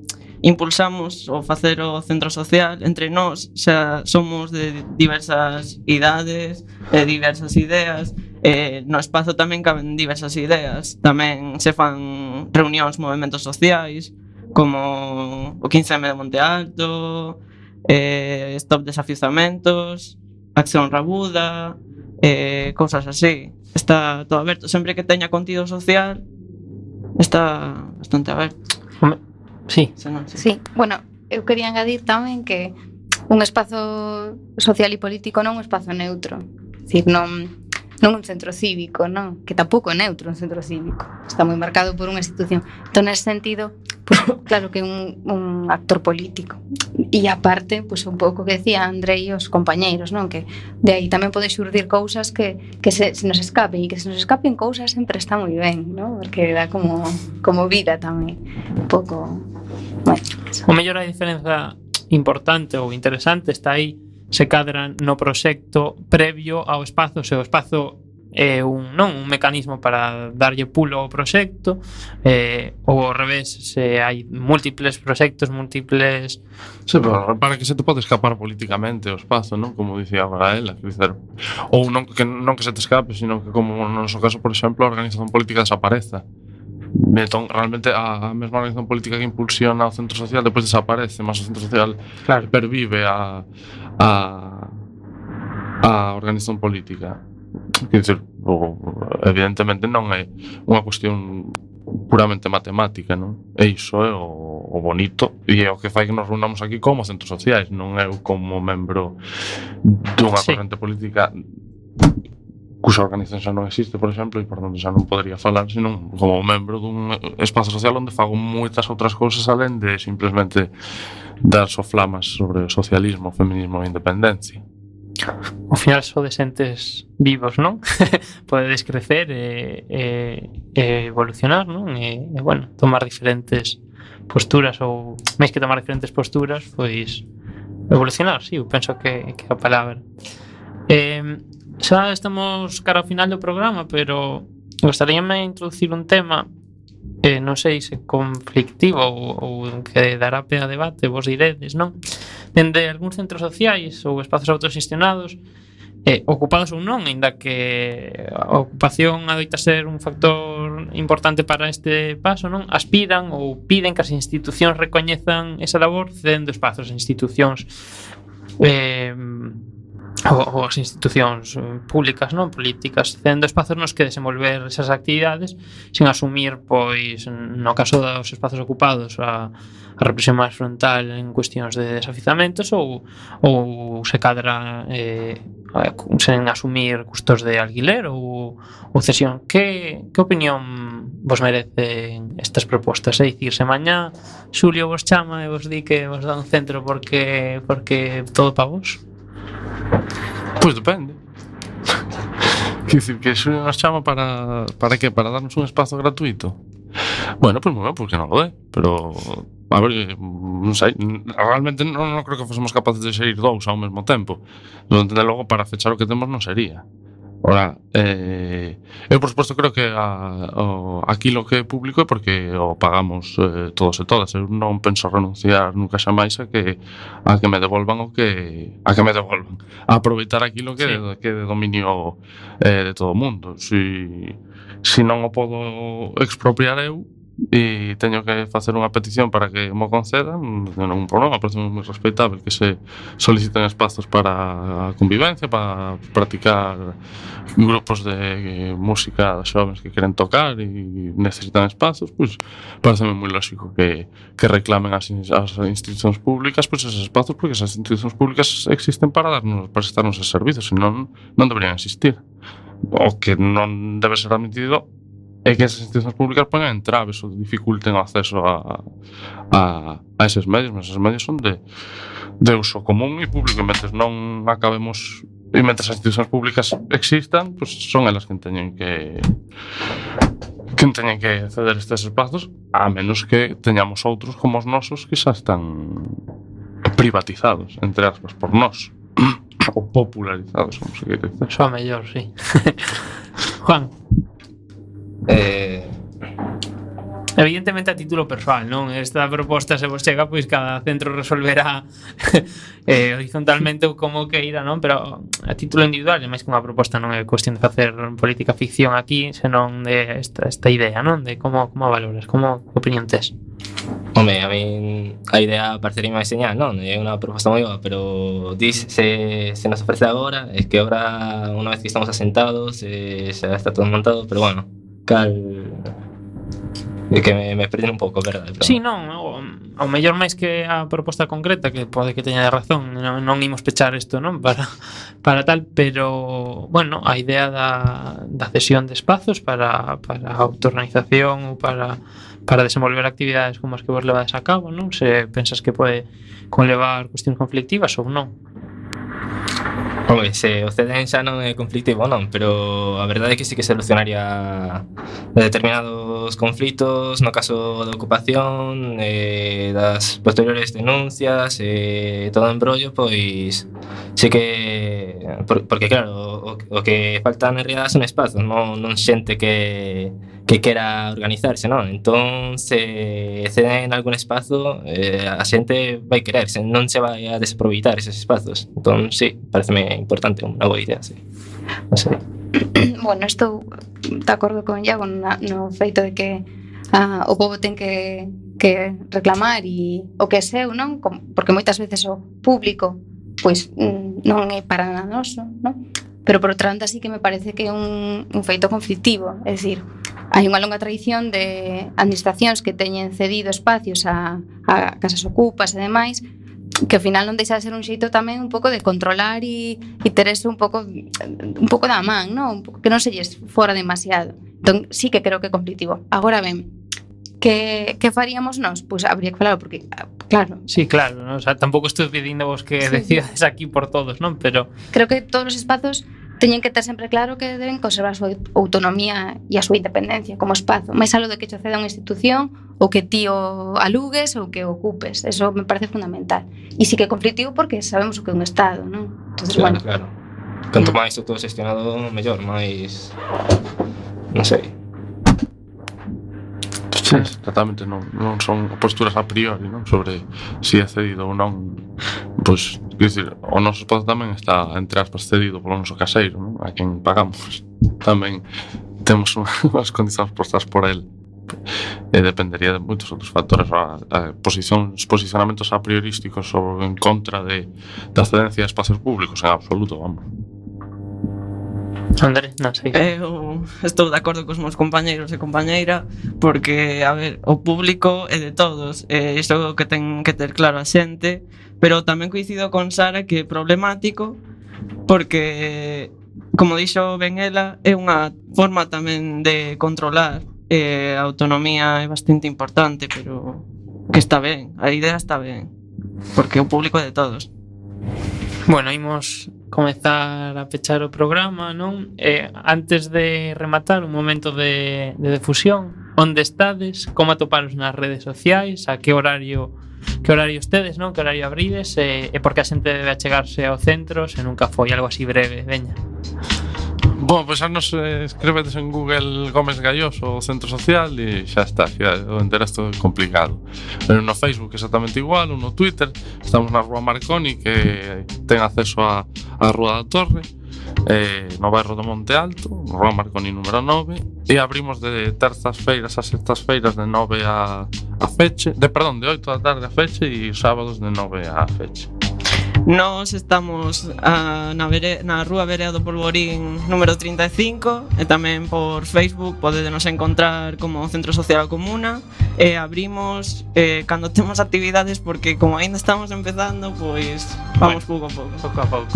impulsamos o facer o centro social, entre nós xa somos de diversas idades, de diversas ideas, e no espazo tamén caben diversas ideas. Tamén se fan reunións, movimentos sociais, como o quince eme de Monte Alto, eh, Stop Desafiuzamentos, Acción Rabuda, eh, cousas así. Está todo aberto, sempre que teña contido social está bastante aberto. Sí. Se non, sí. Sí, bueno, eu quería engadir tamén que un espazo social e político non un espazo neutro. É dicir, non non un centro cívico, non? Que tampouco é neutro un centro cívico. Está moi marcado por unha institución. Entón, nese sentido, pues, claro que é un, un actor político. E aparte, pues, un pouco que decía Andrei e os compañeiros, non? Que de aí tamén pode xurdir cousas que, que se, se nos escapen, e que se nos escapen cousas sempre está moi ben, non? Porque dá como, como vida tamén. Un pouco... Bueno, o mellor a diferenza importante ou interesante está aí se cadra no proxecto previo ao espazo, se o espazo é un, non, un mecanismo para darlle pulo ao proxecto, eh, ou ao revés, se hai múltiples proxectos, múltiples... Sí, pero para que se te pode escapar políticamente o espazo, non? Como dicía agora ela, dizer, ou non que, non que se te escape, sino que como no noso caso, por exemplo, a organización política desapareza. Entón, realmente a, a mesma organización política que impulsiona o centro social depois desaparece, mas o centro social claro, pervive a, a, a organización política. Quer dizer, o, evidentemente non é unha cuestión puramente matemática, non? E iso é o, o bonito e é o que fai que nos reunamos aquí como centros sociais, non eu como membro dunha sí. corrente política cuxa organización xa non existe, por exemplo, e por tanto xa non podría falar, senón como membro dun espazo social onde fago moitas outras cousas alén de simplemente dar soflamas sobre o socialismo, o feminismo e a independencia. Ao final sodes entes vivos, non? Podedes crecer e, e, e evolucionar, non? E, e, bueno, tomar diferentes posturas ou, máis que tomar diferentes posturas, pois evolucionar, sí, eu penso que, que é a palabra. Eh, xa estamos cara ao final do programa, pero gostaríame introducir un tema eh, non sei se conflictivo ou, ou que dará pé a debate, vos diredes, non? Dende algúns centros sociais ou espazos autoxestionados eh, ocupados ou non, ainda que a ocupación adoita ser un factor importante para este paso, non? Aspiran ou piden que as institucións recoñezan esa labor cedendo espazos a institucións eh, ou, ou as institucións públicas, non políticas, cedendo espazos nos que desenvolver esas actividades sin asumir, pois, no caso dos espazos ocupados, a, a represión máis frontal en cuestións de desafizamentos ou, ou se cadra eh, sen asumir custos de alquiler ou, ou cesión. Que, que opinión vos merecen estas propostas? É dicir, se mañá Xulio vos chama e vos di que vos dá un centro porque, porque todo para vos? Pois depende. Quer dicir, que Xulio nos chama para, para que? Para darnos un espazo gratuito? Bueno, pois pues, moi ben, porque non lo é. Pero, a ver, non sei, realmente non, non creo que fosemos capaces de xerir dous ao mesmo tempo. Non entende logo, para fechar o que temos non sería. Ora, eh, eu por suposto creo que a, o, aquilo que é público é porque o pagamos eh, todos e todas. Eu non penso renunciar nunca xamais a que a que me devolvan o que a que me devolvan. A aproveitar aquilo que, sí. de, que é de dominio eh, de todo o mundo. Si, si non o podo expropiar eu e teño que facer unha petición para que mo concedan, non ten ningún problema, parece moi respeitable que se soliciten espazos para a convivencia, para practicar grupos de música de xovens que queren tocar e necesitan espazos, pois parece moi lógico que, que reclamen as, as institucións públicas pois esos espazos, porque esas institucións públicas existen para darnos, para prestarnos esos servizos, senón non deberían existir. O que non debe ser admitido é que esas institucións públicas pongan entraves ou dificulten o acceso a, a, a eses medios, mas eses medios son de, de uso común e público, e mentres non acabemos e mentres as institucións públicas existan, pues son elas que teñen que que teñen que ceder estes espazos, a menos que teñamos outros como os nosos que xa están privatizados, entre aspas, por nós ou popularizados, como se quere dizer. Xa mellor, sí. Juan. Eh... Evidentemente a título persoal, non? Esta proposta se vos chega, pois cada centro resolverá eh, horizontalmente como que irá, non? Pero a título individual, máis que unha proposta, non é cuestión de facer política ficción aquí, senón de esta, esta idea, non? De como, como valoras, como opinión tes? Home, a mí a idea parecería máis señal, non? É unha proposta moi boa, pero dis, se, se nos ofrece agora, é que agora, unha vez que estamos asentados, eh, xa está todo montado, pero bueno, cal... É que me, me perden un pouco, verdade? Pero... Sí, non, o, ao mellor máis que a proposta concreta, que pode que teña razón, non, non imos pechar isto, non? Para, para tal, pero, bueno, a idea da, da cesión de espazos para, para a autoorganización ou para, para desenvolver actividades como as que vos levades a cabo, non? Se pensas que pode conlevar cuestións conflictivas ou non. Home, se o C D N xa non é conflictivo, non, pero a verdade é que sí que solucionaría determinados conflitos no caso da ocupación, eh, das posteriores denuncias, eh, todo o embrollo, pois sí que... Por, porque claro, o, o que falta na realidade son espazos, non, non xente que, que quera organizarse, non? Entón, se ceden algún espazo, eh, a xente vai querer, se non se vai a desaproveitar eses espazos. Entón, sí, pareceme importante, unha boa idea, sí. Non sei. Bueno, estou de acordo con Iago no, no feito de que ah, o pobo ten que, que reclamar e o que é seu, non? Porque moitas veces o público pois non é para nada noso, non? Pero por outra banda sí que me parece que é un, un feito conflictivo, é dicir, hai unha longa tradición de administracións que teñen cedido espacios a, a casas ocupas e demais, que ao final non deixa de ser un xeito tamén un pouco de controlar e, e ter eso un pouco un pouco da man, non? Un pouco que non se lles fora demasiado. Entón, sí que creo que é conflictivo. Agora ben, que, que faríamos nós? Pois habría que falar, porque, claro... Sí, claro, ¿no? O sea, tampouco estou pedindo vos que sí, decidas aquí por todos, non? Pero... Creo que todos os espazos teñen que ter sempre claro que deben conservar a súa autonomía e a súa independencia como espazo, máis algo de que che ceda unha institución ou que ti o alugues ou que o ocupes. Eso me parece fundamental. E sí que é conflictivo porque sabemos o que é un Estado, non? Entonces, claro, bueno. Claro. Canto máis autogestionado, mellor, máis... Non sei. Sí, exactamente, non, non son posturas a priori, non? Sobre si é cedido ou non. Pois, quer dizer, o noso espazo tamén está, entre aspas, cedido polo noso caseiro, non? A quen pagamos. Tamén temos unhas condicións postas por el. E dependería de moitos outros factores. A, a posicións, posicionamentos a priorísticos ou en contra de, da cedencia de espacios públicos, en absoluto, vamos. André, non sei. Eu estou de acordo cos meus compañeiros e compañeira, porque, a ver, o público é de todos, e isto é o que ten que ter claro a xente, pero tamén coincido con Sara que é problemático, porque, como dixo ben ela, é unha forma tamén de controlar, e a autonomía é bastante importante, pero que está ben, a idea está ben, porque o público é de todos. Bueno, imos comezar a pechar o programa, non? Eh, antes de rematar, un momento de, de difusión. Onde estades? Como atoparos nas redes sociais? A que horario que horario estedes, non? Que horario abrides? E, e por que a xente debe achegarse ao centro se nunca foi algo así breve? Veña. Bom, pois pues, nos eh, escrevedes en Google Gómez Galloso o Centro Social e xa está, xa o enteresto é complicado. Pero no Facebook exactamente igual, no Twitter, estamos na Rúa Marconi, que ten acceso a, a Rúa da Torre, eh, no bairro do Monte Alto, Rúa Marconi número nove, e abrimos de terzas feiras a sextas feiras de nove a, a feche, de perdón, de oito da tarde a feche e sábados de nove a feche. Nós estamos a, na, vere, na Rúa Verea do Polvorín número trinta e cinco e tamén por Facebook podedenos encontrar como Centro Social Comuna e abrimos eh, cando temos actividades porque como ainda estamos empezando pois vamos bueno, pouco a pouco. Pouco a pouco.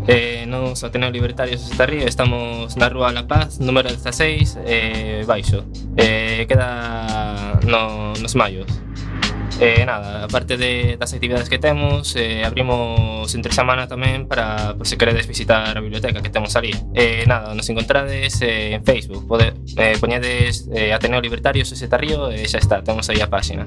Eh, nos Ateneo Libertarios de Estarrío estamos na Rúa La Paz, número dieciséis, eh, baixo. Eh, queda no, nos Mayos. Eh, nada, aparte de, das actividades que temos, eh, abrimos entre semana tamén para, por se queredes visitar a biblioteca que temos ali. Eh, nada, nos encontrades eh, en Facebook, pode, eh, poñedes eh, Ateneo Libertarios de Estarrío e xa está, temos aí a página.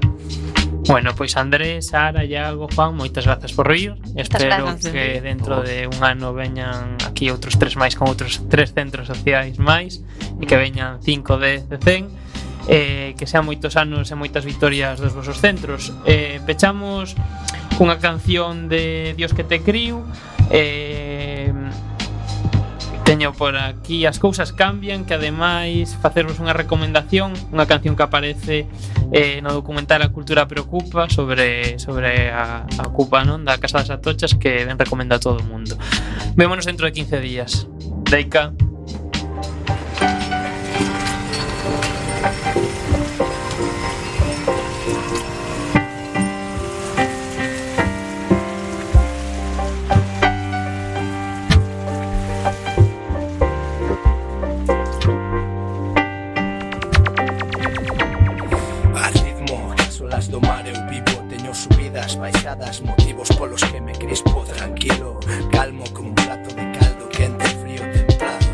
Bueno, pois Andrés, Sara, Iago, Juan, moitas grazas por vir. Espero grazas. que dentro de un ano veñan aquí outros tres máis con outros tres centros sociais máis e que veñan cinco, dez, cen. Eh, que sean moitos anos e moitas victorias dos vosos centros. Eh, pechamos cunha canción de Dios que te criu. Eh, teño por aquí As cousas cambian, que ademais facervos unha recomendación, unha canción que aparece eh, no documental A cultura preocupa sobre, sobre a, a ocupa, non? Da Casa das Atochas, que ben recomenda a todo o mundo. Vémonos dentro de quince días. Deica. subidas, baixadas, motivos polos que me crispo tranquilo, calmo como un plato de caldo, quente, frío, templado,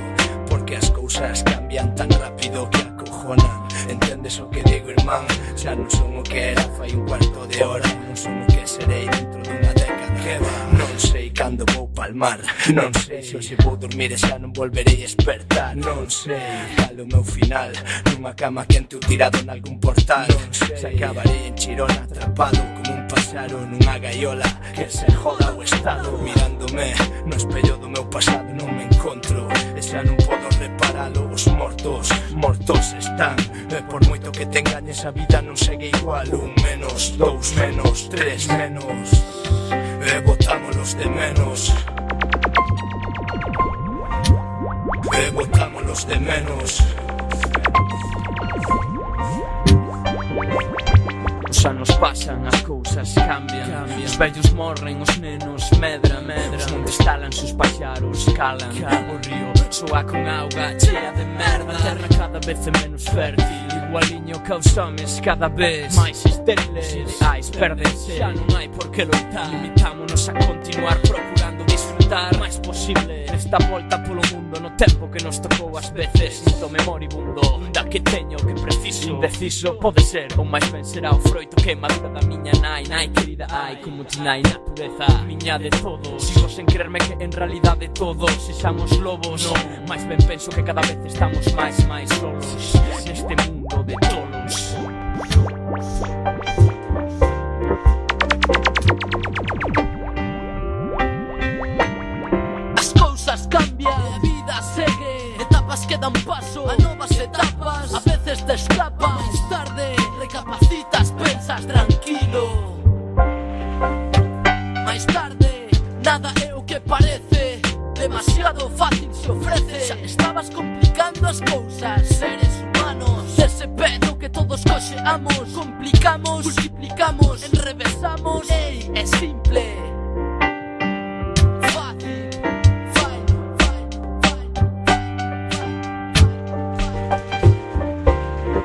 porque as cousas cambian tan rápido que acojonan. Entendes o que digo, irmán? Xa non son o que era fai un cuarto de hora, non son o que serei dentro dunha década. Que va? Non sei cando vou palmar, non sei se hoxe vou dormir e xa non volverei a despertar. Non sei cal o meu final, nunha cama quente ou tirado nalgún portal. Non sei se acabarei en Chirona atrapado como un páxaro nunha gaiola. Que se joda o estado, mirándome no espello do meu pasado non me encontro e xa non podo reparalo. Os mortos, mortos están, e por moito que te engañes a vida non segue igual. Un menos, dous menos, tres menos, e botámonos de menos, e botámonos de menos. Os anos pasan, as cousas cambian, cambian. Os vellos morren, os nenos medran, medran. Os montes talanse, os paxaros calan, calan. O río soa con auga chea de merda. A terra cada vez é menos fértil, igualiño que os homes cada vez máis estériles. Os ideais perdense, xa non hai por que loitar. Limitámonos a continuar procurando disfrutar máis posible nesta volta polo mundo, no tempo que nos tocou ás veces. Sinto memoribundo da que teño que preciso. Indeciso pode ser, ou máis ben será o froito que madura da miña nai. Nai querida, ai, como ti nai, natureza miña de todos. Sigo sen creerme que en realidade todos sexamos lobos. No, máis ben penso que cada vez estamos máis, máis solos neste mundo de tolos. As cousas cambian, a vida segue, etapas que dan paso a novas etapas. A veces te escapas, máis tarde recapacitas, pensas tranquilo. Máis tarde nada é o que parece, demasiado fácil se ofrece. Xa estabas complicando as cousas, seres humanos. Ese pedo que todos coxeamos, complicamos, multiplicamos, enrevesamos. Ei, é simple.